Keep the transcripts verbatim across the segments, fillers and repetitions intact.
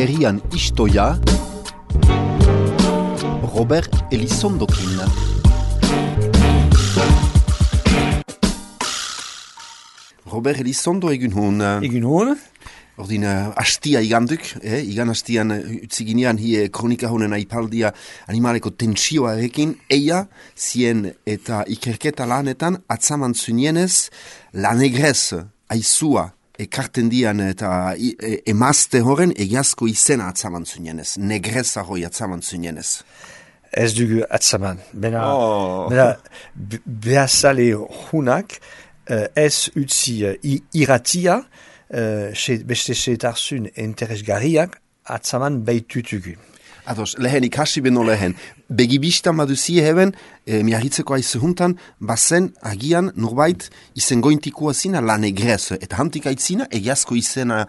herrian istoia, Robert Elizondokin. Robert Elizondo egun hon. Egun hon. Ordin, uh, hastia iganduk, eh? Igan hastian uh, utziginean hi kronika honen aipaldia animaleko tentsioarekin, eia, zien eta ikerketa lanetan atzaman zunienez, la negrez, aizua, ekarten dian eta e, emazte horren egiazko izena atzaman zunienez, negreza hoi atzaman zunienez. Ez dugu atzaman. Bena, oh. bena behazale hunak, uh, ez utzi uh, iratia, Uh, beste seetarzun interesgarriak atzaman behitutugu. Ados, lehen ikasi beno lehen. Begibistan baduzie heben, e, miarritzeko aizu juntan, bazen agian norbait izen gointikua zina la negrez. Eta hantik aitzina egiazko izena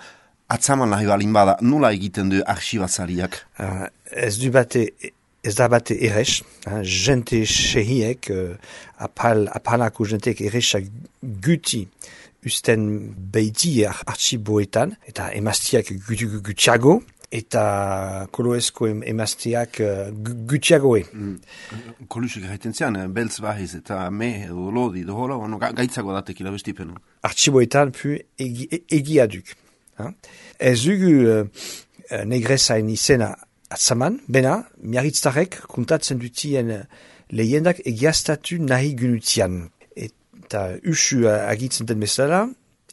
atzaman lahi balin bada. Nola egiten du arxibazariak? Uh, ez du bate... Ez da bate errez, jente sehiek, uh, apal, apalako jenteek errezak guti usten behiti artxiboetan, eta emaztiak gutiago, eta koloezko emaztiak gutiagoe. Mm. Kolusik gaiten zian, beltz bahiz, eta me, edo lodi, edo hola, no, gaitzago datekila bestipenu. Artxiboetan pu egi, egia duk. Ez dugu uh, negrezain izena atzaman, bena, miarritztarek kontatzen dutien lehendak egiaztatu nahi gunutian. Eta usu agitzen den bezala,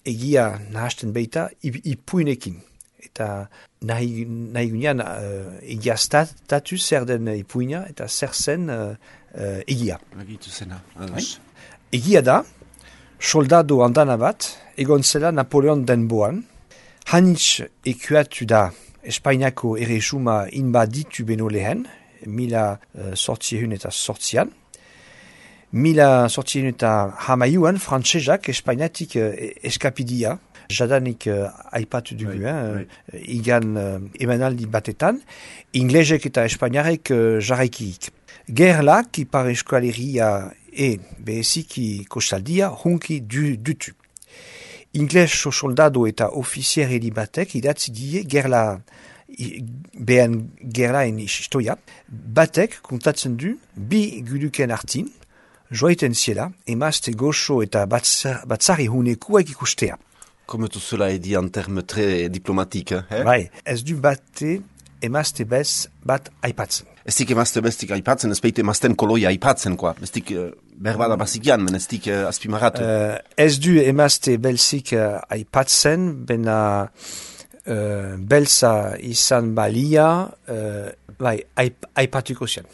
egia nahasten beita ipuinekin. Eta nahi, nahi gunean uh, egiaztatu zer den ipuina eta zer zen uh, uh, egia. Agitu zena. Egia da, soldado andana bat, egon zela Napoleon denboan, hanitz ekuatu da Espainiako erresuma inbaditu beno lehen, mila uh, sortziehun eta sortzian. Mila sortziehun eta hamaiuan, frantsesak Espainiatik uh, eskapidia, jadanik uh, aipatu dugu, right, eh, right. igan uh, emanaldi batetan, inglesek eta espainiarek uh, jarraikik. Gerlak, ipar eskualeria e beheziki kostaldia, hunki du, dutu. Ingles soldado eta ofiziereli batek idatzi die gerla, behen gerlaen istoia, batek kontatzen du bi guduken artin, joaiten ziela, emazte goxo eta batzari hunekuak ikustea. Comme tout cela est dit en termes très diplomatiques. Eh? Bai, ez du bate emazte bez bat aipatzen. Ez dik emazte beztik aipatzen, ez beite emazten koloia aipatzen, koa. Ez dik uh, berbada bazikian, men ez dik uh, azpimarratu. Uh, ez du emazte belzik uh, aipatzen, bena uh, belza izan balia, uh, bai, aip, aipatuko zian.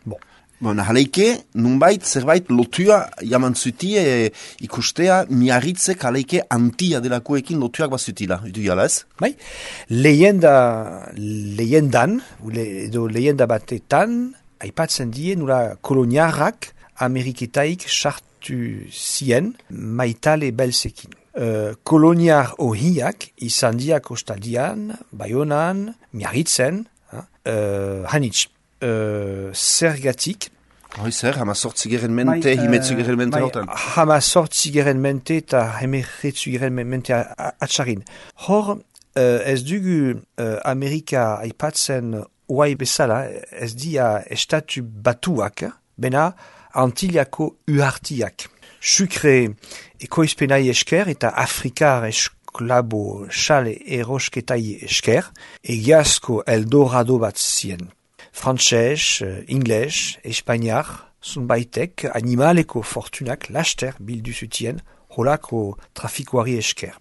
Bon. Bon, haleike, nunbait, zerbait, lotua jaman zutie e, ikustea, miarritzek haleike antia delakoekin lotuak bazutila, du jala ez? Bai, lehenda, lehendan, edo lehenda batetan, aipatzen die, nula koloniarrak Ameriketaik sartu zien maitale belzekin. Uh, koloniar ohiak izan dia kostaldian, Baionan, miarritzen, uh, hanitz. Uh, zergatik. Hoi zer, hama sortzigeren mente, uh, himetzugeren mente hortan? Hama sortzigeren mente eta hemeretzugeren mente atxarin. Hor, uh, ez dugu uh, Amerika aipatzen oai bezala, ez dia estatu batuak, bena Antiliako uhartiak. Sukre ekoizpenai esker eta Afrikar esklabo xale erosketai esker, egiazko Eldorado bat zien. Frantses, ingles, espainiar, zunbaitek animaleko fortunak laster bildu zutien holako trafikoari esker.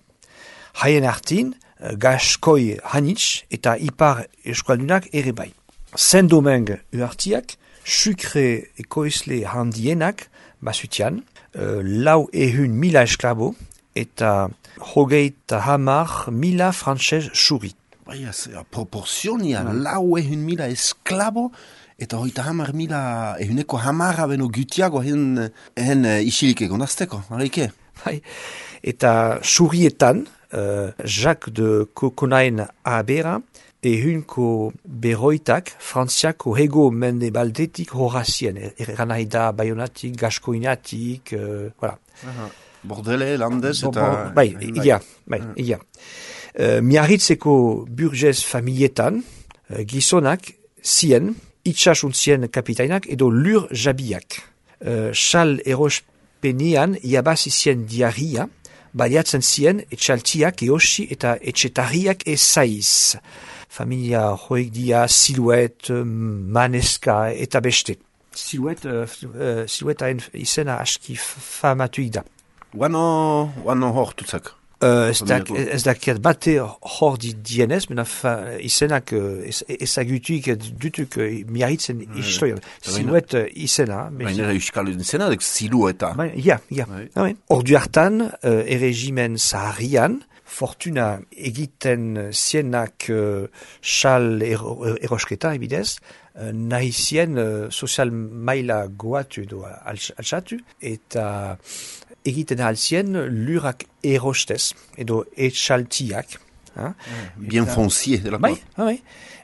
Haien artin, gaskoi hanitz eta ipar eskualdunak ere bai. Zendomeng uhartiak, sukre ekoizle handienak basutian, uh, lau ehun mila esklabo eta hogeita hamar mila frantses xuri. Bai, proportzionia, mm. lau ehun mila esklabo, eta hoita hamar mila ehuneko hamarra beno gutiago hen, hen uh, isilik egon azteko, harike? Bai, eta xurietan, uh, Jacques de Coconain abera, ehunko beroitak frantziako hego mende baldetik horazien, eran nahi da baionatik, gaskoinatik, uh, voilà. Aha. Bordele, landez, bo, eta... Bai, ia, bai, ia. Uh, Miarritzeko burgez familietan, uh, gizonak zien, itxasuntzien kapitainak edo lur jabiak. Uh, Xal erospenean iabazi zien diarria, baliatzen zien etxaltiak eosi eta etxetarriak ezaiz. Familia joek dia siluet, maneska eta beste. Siluet, uh, uh, siluetaen izena aski famatuik da. Guano, guano hor tutzak. Uh, ez, da, ez dakiat bate hor di dienez, mena fa, izenak uh, ezagutuik dutuk uh, miarritzen mm. historian. Siluet uh, izena. Baina euskal izena, dek silueta. Ba, ja, ja. Ah, ordu hartan, uh, erregimen zaharrian, fortuna egiten zienak uh, xal ero, erosketa, ebidez, uh, nahi zien uh, sozial maila goatu edo altsatu, eta egiten alzien lurak erostez, edo etxaltiak. Ah, bien eta, foncier de la bai, bai.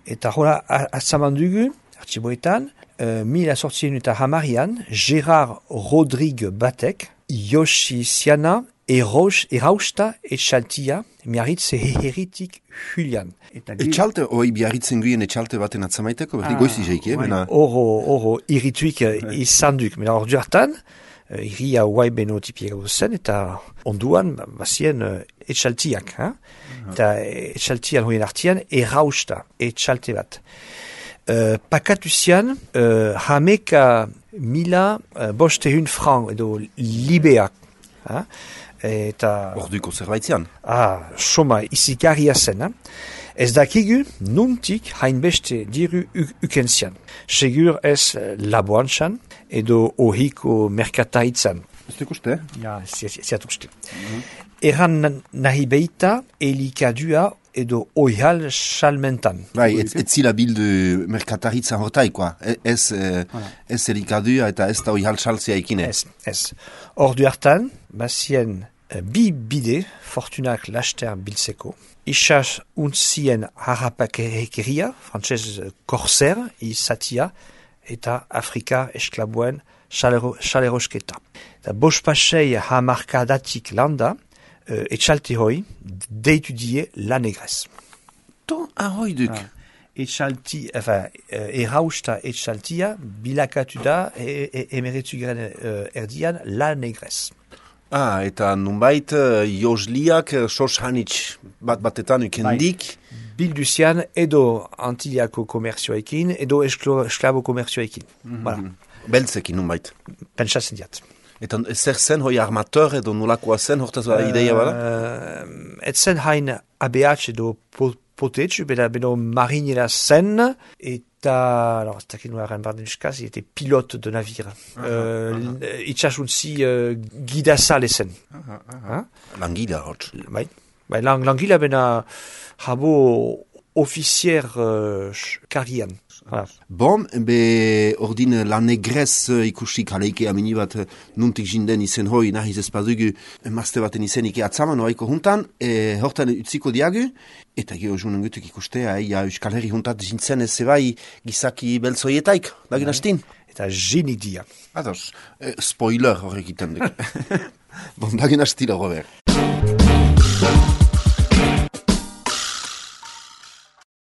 Eta hola, atzaman dugu, artxiboetan, uh, mila sortzien eta hamarian, Gerard Rodrigue batek, Yoshi Siana, Eros, erausta etxaltia, miarritze herritik Julian. Etxalte, oi biarritzen guien etxalte baten atzamaiteko, berdi ah, goizi jeik, eh? Oro, oro, irrituik izan duk, mena ordu hartan, Uh, iria guai beno tipiega zen, eta onduan bazien uh, etxaltiak. Hein? Uh-huh. Eta etxaltian hoien artian, errausta etxalte bat. Uh, pakatuzian, uh, hameka mila uh, bostehun franc edo libeak. Hein? Eta... Orduko zerbaitzian. Ah, soma izikarria zen. Hein? Ez dakigu nuntik hainbeste diru ukenzian. Segur ez laboantxan edo ohiko merkataitzan. Ez duk uste? Ja, ziat uste. Mm-hmm. Eran nahi beita elikadua edo oihal salmentan. Bai, ez, ez zila bildu merkataritzan hortaikoa. Ez, eh, voilà. Ez elikadua eta ez da oihal salzia ikine. Ez, ez. Ordu hartan, bazien bi bide fortunak laster biltzeko. Isas untzien harrapakeria, frantzez korser, izatia, eta Afrika esklabuen xalerosketa. Eta bospasei hamarkadatik landa, uh, etxalte hoi, deitu die la negrez. To ahoi duk. Ah. Etxalti, enfin, uh, erausta etxaltia, bilakatu da, e, e, emeretu garen uh, erdian, la negrez. Ah, eta nunbait, uh, josliak, sos hanitz bat batetan ukendik. Bai. Bilduzian edo antiliako komerzioekin, edo esklabo komerzioekin. Mm-hmm. Voilà. Beltzekin nunbait. Pentsatzen diat. Eta zer zen, hoi armateur edo nolakoa zen, hortaz uh, ideia bada? Uh, et zen hain A B H edo potetsu, beda beno marinera zen, eta, alors, ez dakit nuaren barden uskaz, il était pilote de navire. Uh, uh, Itxasuntzi uh, gidazale zen. Uh, uh, uh. Langila, hotz. Bai. Bai, lang, langila bena habo ofizier uh, karian. Voilà. Bon, be ordin la negrez ikusik haleike amini bat nuntik jinden izen hoi nahiz ezpadugu emazte baten izenik atzaman oaiko juntan, e, hortan utziko diagu, eta geho junen gutuk ikustea, ja Euskal Herri juntat jintzen ez zebai gizaki beltzoietaik, dagin hastin? Eta jinik dia. Ados, e, spoiler horrek iten duk. Bon, dagin hastila, Robert.